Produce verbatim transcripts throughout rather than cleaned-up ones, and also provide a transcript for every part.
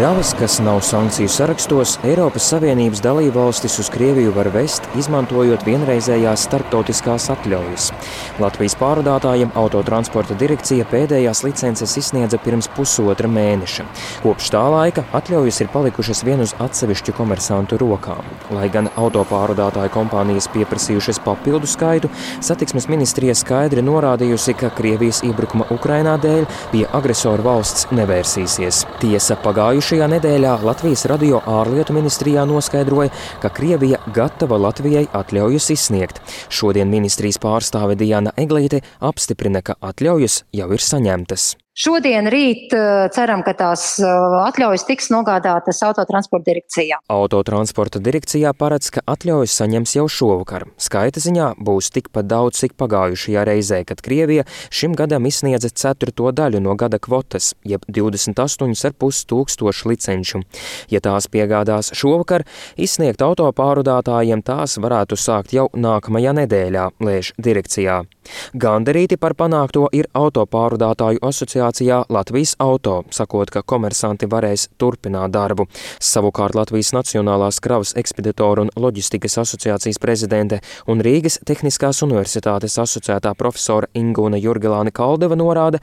Kravas, kas nav sankciju sarakstos, Eiropas Savienības dalībvalstis uz Krieviju var vest, izmantojot vienreizējās starptautiskās atļaujas. Latvijas pārvadātājiem Autotransporta direkcija pēdējās licences izsniedza pirms pusotra mēneša. Kopš tā laika atļaujas ir palikušas vien uz atsevišķu komersantu rokām. Lai gan autopārvadātāju kompānijas pieprasījušas papildu skaitu, satiksmes ministrija skaidri norādījusi, ka Krievijas iebrukuma Ukrainā dēļ pie agresoru valsts nevērsīsies. Tiesa, pagājušajā Šajā nedēļā Latvijas radio ārlietu ministrijā noskaidroja, ka Krievija gatava Latvijai atļaujas izsniegt. Šodien ministrijas pārstāve Diana Eglīte apstiprina, ka atļaujas jau ir saņemtas. Šodien, rīt ceram, ka tās atļaujas tiks nogādātas Autotransporta direkcijā. Autotransporta direkcijā paredz, ka atļaujas saņems jau šovakar. Skaita ziņā būs tikpat daudz, cik pagājušajā reizē, kad Krievija šim gadam izsniedza ceturto daļu no gada kvotas, jeb divdesmit astoņi ar pus tūkstoši licenču. Ja tās piegādās šovakar, izsniegt autopārvadātājiem tās varētu sākt jau nākamajā nedēļā, lēš direkcijā. Gandarīti par panākto ir autopārvadātāju asociācijā Latvijas Auto, sakot, ka komersanti varēs turpināt darbu. Savukārt Latvijas Nacionālās kravas ekspeditoru un loģistikas asociācijas prezidente un Rīgas Tehniskās universitātes asociētā profesora Ingūna Jurgelāne Kaldeva norāda,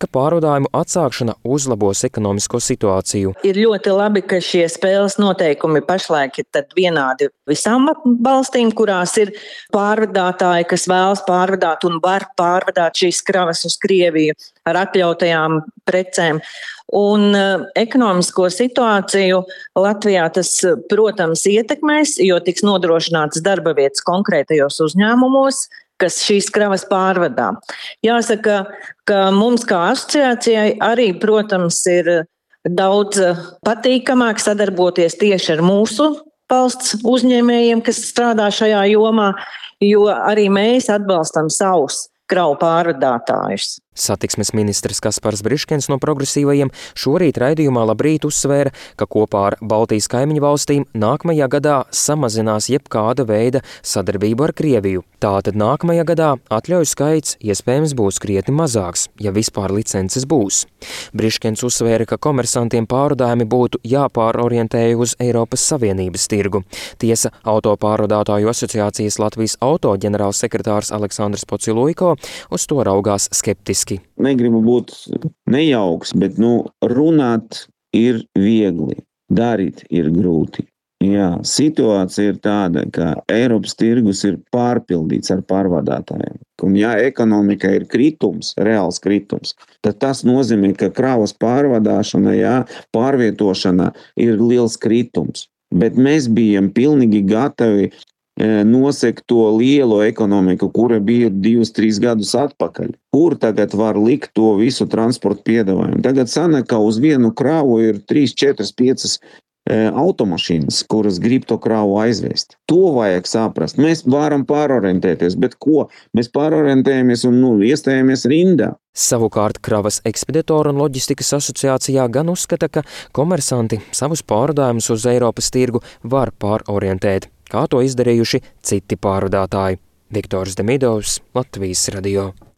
ka pārvadājumu atsākšana uzlabos ekonomisko situāciju. Ir ļoti labi, ka šie spēles noteikumi pašlaik ir tad vienādi visām valstīm, kurās ir pārvadātāji, kas vēlas pārvadāt un var pārvadāt šīs kravas uz Krieviju ar atļautajām precēm. Un uh, ekonomisko situāciju Latvijā tas, protams, ietekmēs, jo tiks nodrošināts darba vietas konkrētajos uzņēmumos, kas šīs kravas pārvadā. Jāsaka, ka mums kā asociācijai arī, protams, ir daudz patīkamāk sadarboties tieši ar mūsu valsts uzņēmējiem, kas strādā šajā jomā, jo arī mēs atbalstam savus kravu pārvadātājus. Satiksmes ministrs Kaspars Briškens no Progresīvajiem šorīt raidījumā Labrīt uzsvēra, ka kopā ar Baltijas kaimiņu valstīm nākamajā gadā samazinās jebkāda veida sadarbību ar Krieviju. Tātad nākamajā gadā atļauju skaits iespējams būs krietni mazāks, ja vispār licences būs. Briškens uzsvēra, ka komersantiem pārvadājumi būtu jāpārorientēja uz Eiropas Savienības tirgu. Tiesa, autopārvadātāju asociācijas Latvijas Auto ģenerālsekretārs Aleksandrs Pociluiko uz to raugās skeptiski. Negribu būt nejauks, bet nu, runāt ir viegli, darīt ir grūti. Jā, situācija ir tāda, ka Eiropas tirgus ir pārpildīts ar pārvadātājiem. Un ja ekonomika ir kritums, reāls kritums, tad tas nozīmē, ka kravas pārvadāšana, jā, pārvietošana ir liels kritums. Bet mēs bijām pilnīgi gatavi nosekt to lielo ekonomiku, kura bija divus, trīs gadus atpakaļ. Kur tagad var likt to visu transportu piedāvājumu? Tagad sanāk, ka uz vienu kravu ir trīs, četras, piecas e, automašīnas, kuras grib to kravu aizvest. To vajag saprast. Mēs varam pārorientēties, bet ko? Mēs pārorientējamies un nu, iestājamies rindā. Savukārt Kravas ekspeditoru un loģistikas asociācijā gan uzskata, ka komersanti savus pārvadājumus uz Eiropas tirgu var pārorientēt, kā to izdarījuši citi pārvadātāji. Viktors Demidovs, Latvijas radio.